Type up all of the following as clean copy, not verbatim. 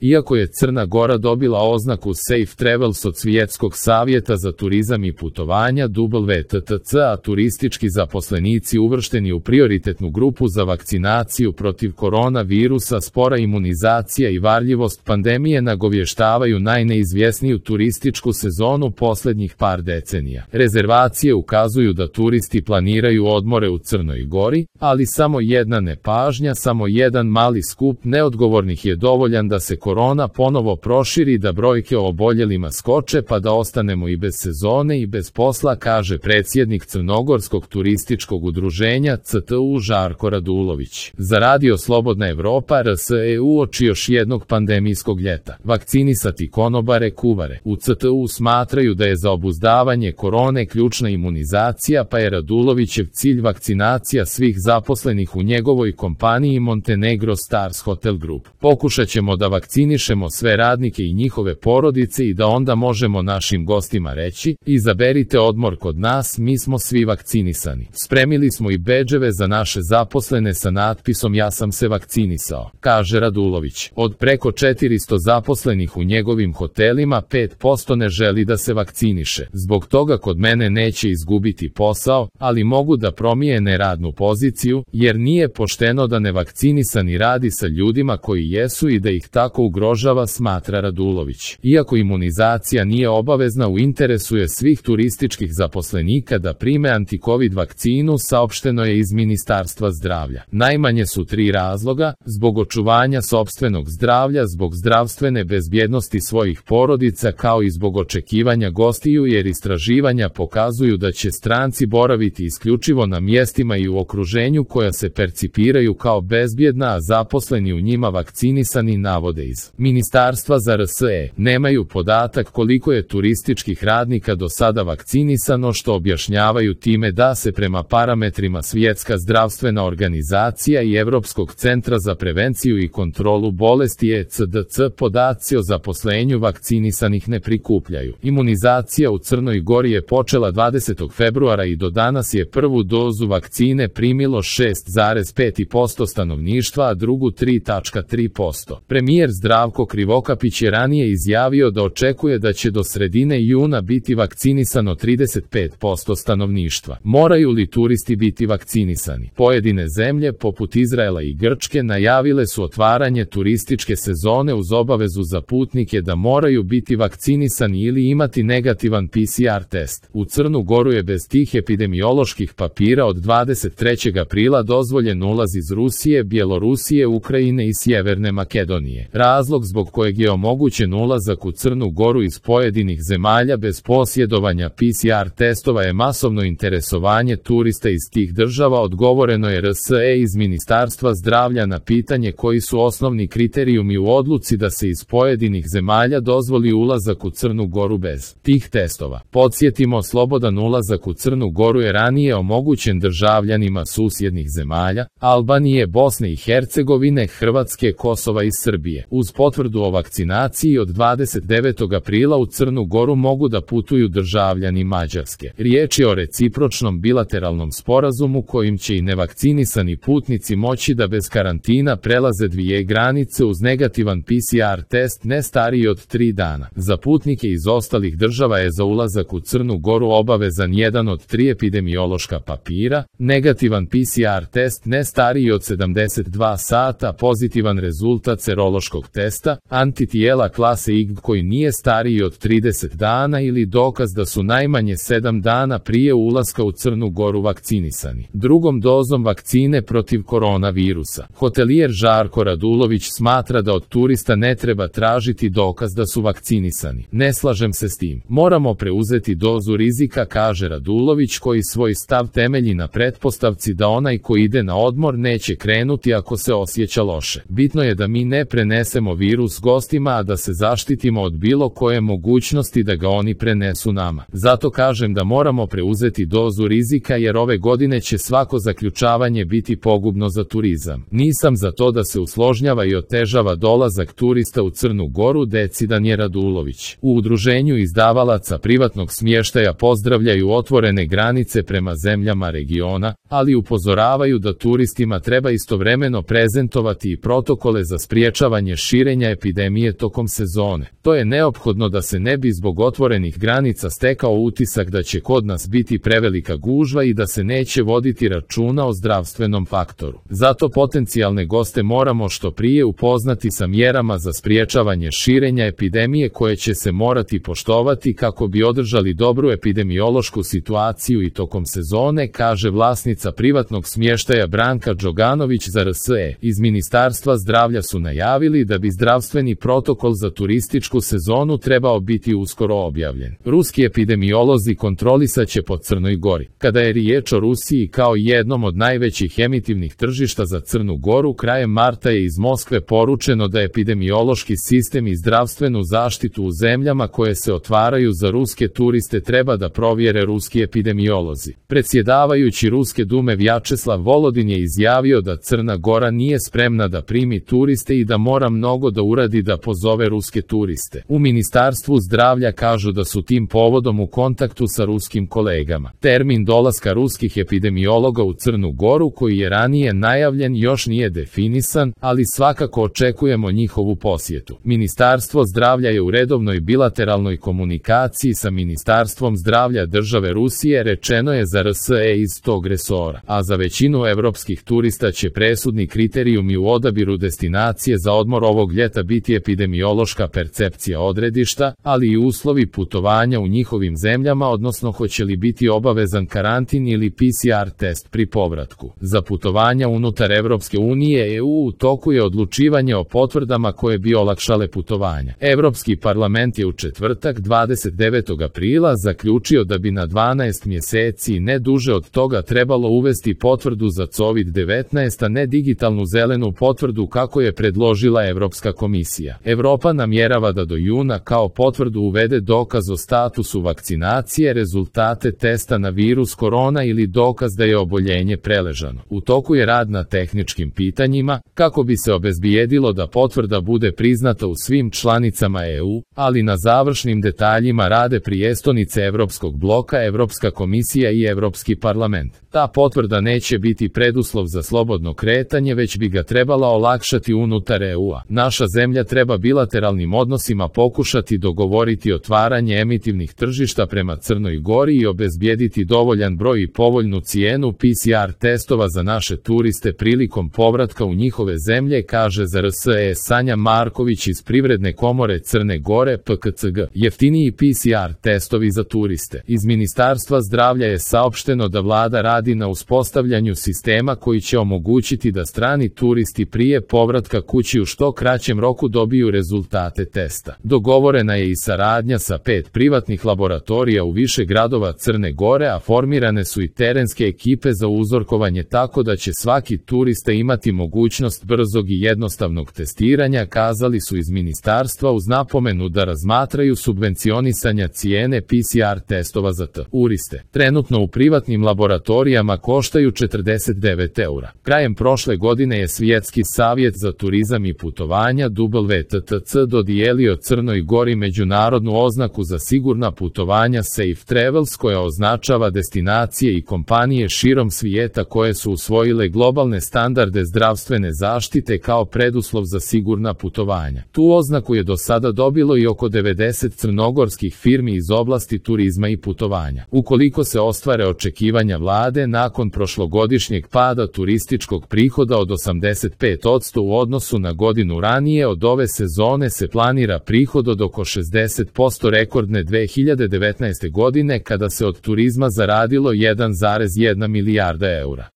Iako je Crna Gora dobila oznaku Safe Travels od Svjetskog savjeta za turizam i putovanja WTTC, a turistički zaposlenici uvršteni u prioritetnu grupu za vakcinaciju protiv koronavirusa, spora imunizacija i varljivost pandemije nagovještavaju najneizvjesniju turističku sezonu posljednjih par decenija. Rezervacije ukazuju da turisti planiraju odmore u Crnoj Gori, ali samo jedna nepažnja, samo jedan mali skup neodgovornih je dovoljan da se korona ponovo proširi, da brojke o oboljelima skoče pa da ostanemo i bez sezone i bez posla, kaže predsjednik Crnogorskog turističkog udruženja CTU Žarko Radulović. Za Radio Slobodna Evropa RS uoči još jednog pandemijskog ljeta. Vakcinisati konobare, kuvare. U CTU smatraju da je za obuzdavanje korone ključna imunizacija, pa je Radulovićev cilj vakcinacija svih zaposlenih u njegovoj kompaniji Montenegro Stars Hotel Group. Pokušat ćemo da vakcinišemo sve radnike i njihove porodice i da onda možemo našim gostima reći: izaberite odmor kod nas, mi smo svi vakcinisani. Spremili smo i bedževe za naše zaposlene sa natpisom ja sam se vakcinisao, kaže Radulović. Od preko 400 zaposlenih u njegovim hotelima 5% ne želi da se vakciniše. Zbog toga kod mene neće izgubiti posao, ali mogu da promijene radnu poziciju, jer nije pošteno da nevakcinisani radi sa ljudima koji jesu i da ih tako ugrožava, smatra Radulović. Iako imunizacija nije obavezna, u interesu je svih turističkih zaposlenika da prime anti-covid vakcinu, saopšteno je iz Ministarstva zdravlja. Najmanje su 3 razloga: zbog očuvanja sopstvenog zdravlja, zbog zdravstvene bezbjednosti svojih porodica, kao i zbog očekivanja gostiju, jer istraživanja pokazuju da će stranci boraviti isključivo na mjestima i u okruženju koja se percipiraju kao bezbjedna, a zaposleni u njima vakcinisani, navode iz Ministarstva za RS. Nemaju podatak koliko je turističkih radnika do sada vakcinisano, što objašnjavaju time da se prema parametrima Svjetska zdravstvena organizacija i Europskog centra za prevenciju i kontrolu bolesti ECDC podaci o zaposlenju vakcinisanih ne prikupljaju. Imunizacija u Crnoj Gori je počela 20. februara i do danas je prvu dozu vakcine primilo 6,5% stanovništva, a drugu 3,3%. Premijer Zdravko Krivokapić je ranije izjavio da očekuje da će do sredine juna biti vakcinisano 35% stanovništva. Moraju li turisti biti vakcinisani? Pojedine zemlje, poput Izraela i Grčke, najavile su otvaranje turističke sezone uz obavezu za putnike da moraju biti vakcinisani ili imati negativan PCR test. U Crnu Goru je bez tih epidemioloških papira od 23. aprila dozvoljen ulaz iz Rusije, Bjelorusije, Ukrajine i Sjeverne Makedonije. Razlog zbog kojeg je omogućen ulazak u Crnu Goru iz pojedinih zemalja bez posjedovanja PCR testova je masovno interesovanje turista iz tih država, odgovoreno je RS iz Ministarstva zdravlja na pitanje koji su osnovni kriterijumi u odluci da se iz pojedinih zemalja dozvoli ulazak u Crnu Goru bez tih testova. Podsjetimo, slobodan ulazak u Crnu Goru je ranije omogućen državljanima susjednih zemalja, Albanije, Bosne i Hercegovine, Hrvatske, Kosova i Srbije. Uz potvrdu o vakcinaciji od 29. aprila u Crnu Goru mogu da putuju državljani Mađarske. Riječ je o recipročnom bilateralnom sporazumu kojim će i nevakcinisani putnici moći da bez karantina prelaze 2 granice uz negativan PCR test ne stariji od 3 dana. Za putnike iz ostalih država je za ulazak u Crnu Goru obavezan jedan od 3 epidemiološka papira, negativan PCR test ne stariji od 72 sata, pozitivan rezultat serološkog testa, antitijela klase IgG koji nije stariji od 30 dana ili dokaz da su najmanje 7 dana prije ulaska u Crnu Goru vakcinisani drugom dozom vakcine protiv koronavirusa. Hotelijer Žarko Radulović smatra da od turista ne treba tražiti dokaz da su vakcinisani. Ne slažem se s tim. Moramo preuzeti dozu rizika, kaže Radulović, koji svoj stav temelji na pretpostavci da onaj ko ide na odmor neće krenuti ako se osjeća loše. Bitno je da mi ne prenesemo virus gostima, a da se zaštitimo od bilo koje mogućnosti da ga oni prenesu nama. Zato kažem da moramo preuzeti dozu rizika, jer ove godine će svako zaključavanje biti pogubno za turizam. Nisam za to da se usložnjava i otežava dolazak turista u Crnu Goru, decidan je Radulović. U udruženju izdavalaca privatnog smještaja pozdravljaju otvorene granice prema zemljama regiona, ali upozoravaju da turistima treba istovremeno prezentovati i protokole za spriječavanje širenja epidemije tokom sezone. To je neophodno da se ne bi zbog otvorenih granica stekao utisak da će kod nas biti prevelika gužva i da se neće voditi računa o zdravstvenom faktoru. Zato potencijalne goste moramo što prije upoznati sa mjerama za spriječavanje širenja epidemije koje će se morati poštovati kako bi održali dobru epidemiološku situaciju i tokom sezone, kaže vlasnica privatnog smještaja Branka Đoganović za RSE. Iz Ministarstva zdravlja su najavili da bi zdravstveni protokol za turističku sezonu trebao biti uskoro objavljen. Ruski epidemiolozi kontrolisaće po Crnoj Gori. Kada je riječ o Rusiji kao jednom od najvećih emitivnih tržišta za Crnu Goru, krajem marta je iz Moskve poručeno da epidemiološki sistem i zdravstvenu zaštitu u zemljama koje se otvaraju za ruske turiste treba da provjere ruski epidemiolozi. Predsjedavajući Ruske dume Vjačeslav Volodin je izjavio da Crna Gora nije spremna da primi turiste i da mora mnogo da uradi da pozove ruske turiste. U Ministarstvu zdravlja kažu da su tim povodom u kontaktu sa ruskim kolegama. Termin dolaska ruskih epidemiologa u Crnu Goru, koji je ranije najavljen, još nije definisan, ali svakako očekujemo njihovu posjetu. Ministarstvo zdravlja je u redovnoj bilateralnoj komunikaciji sa Ministarstvom zdravlja države Rusije, rečeno je za RSE iz tog resora, a za većinu evropskih turista će presudni kriterijumi u odabiru destinacije za odmor ovog ljeta biti epidemiološka percepcija odredišta, ali i uslovi putovanja u njihovim zemljama, odnosno hoće li biti obavezan karantin ili PCR test pri povratku. Za putovanja unutar Evropske unije u toku je odlučivanje o potvrdama koje bi olakšale putovanja. Evropski parlament je u četvrtak 29. aprila zaključio da bi na 12 mjeseci i ne duže od toga trebalo uvesti potvrdu za COVID-19, a ne digitalnu zelenu potvrdu kako je predložila Evropska komisija. Evropa namjerava da do juna kao potvrdu uvede dokaz o statusu vakcinacije, rezultate testa na virus korona ili dokaz da je oboljenje preležano. U toku je rad na tehničkim pitanjima kako bi se obezbijedilo da potvrda bude priznata u svim članicama EU, ali na završnim detaljima rade prijestolnice Evropskog bloka, Evropska komisija i Evropski parlament. Ta potvrda neće biti preduslov za slobodno kretanje, već bi ga trebala olakšati unutar EU-a. Naša zemlja treba bilateralnim odnosima pokušati dogovoriti otvaranje emitivnih tržišta prema Crnoj Gori i obezbijediti dovoljan broj i povoljnu cijenu PCR testova za naše turiste prilikom povratka u njihove zemlje, kaže za RSE Sanja Marković iz Privredne komore Crne Gore PKCG. Jeftiniji PCR testovi za turiste. Iz Ministarstva zdravlja je saopšteno da vlada radi na uspostavljanju sistema koji će omogućiti da strani turisti prije povratka kući u što kraćem roku dobiju rezultate testa. Dogovorena je i saradnja sa 5 privatnih laboratorija u više gradova Crne Gore, a formirane su i terenske ekipe za uzorkovanje tako da će svaki turista imati mogućnost brzog i jednostavnog testiranja, kazali su iz ministarstva uz napomenu da razmatraju subvencionisanja cijene PCR testova za turiste. Trenutno u privatnim laboratorijama koštaju 49 eura. Krajem prošle godine je Svjetski savjet za turizam i putovanja WTTC dodijelio Crnoj Gori međunarodnu oznaku za sigurna putovanja Safe Travels, koja označava destinacije i kompanije širom svijeta koje su usvojile globalne standarde zdravstvene zaštite kao preduslov za sigurna putovanja. Tu oznaku je do sada dobilo i oko 90 crnogorskih firmi iz oblasti turizma i putovanja. Ukoliko se ostvare očekivanja vlade, nakon prošlogodišnjeg pada turističkog prihoda od 85% u odnosu na godinu ranije, od ove sezone se planira prihod od oko 60% rekordne 2019. godine kada se od turizma zaradilo 1,1 milijarda eura.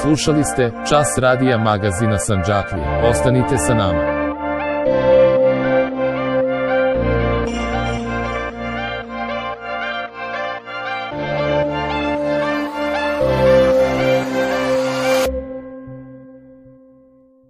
Slušali ste Čas radija magazina Sandžaklija. Ostanite sa nama.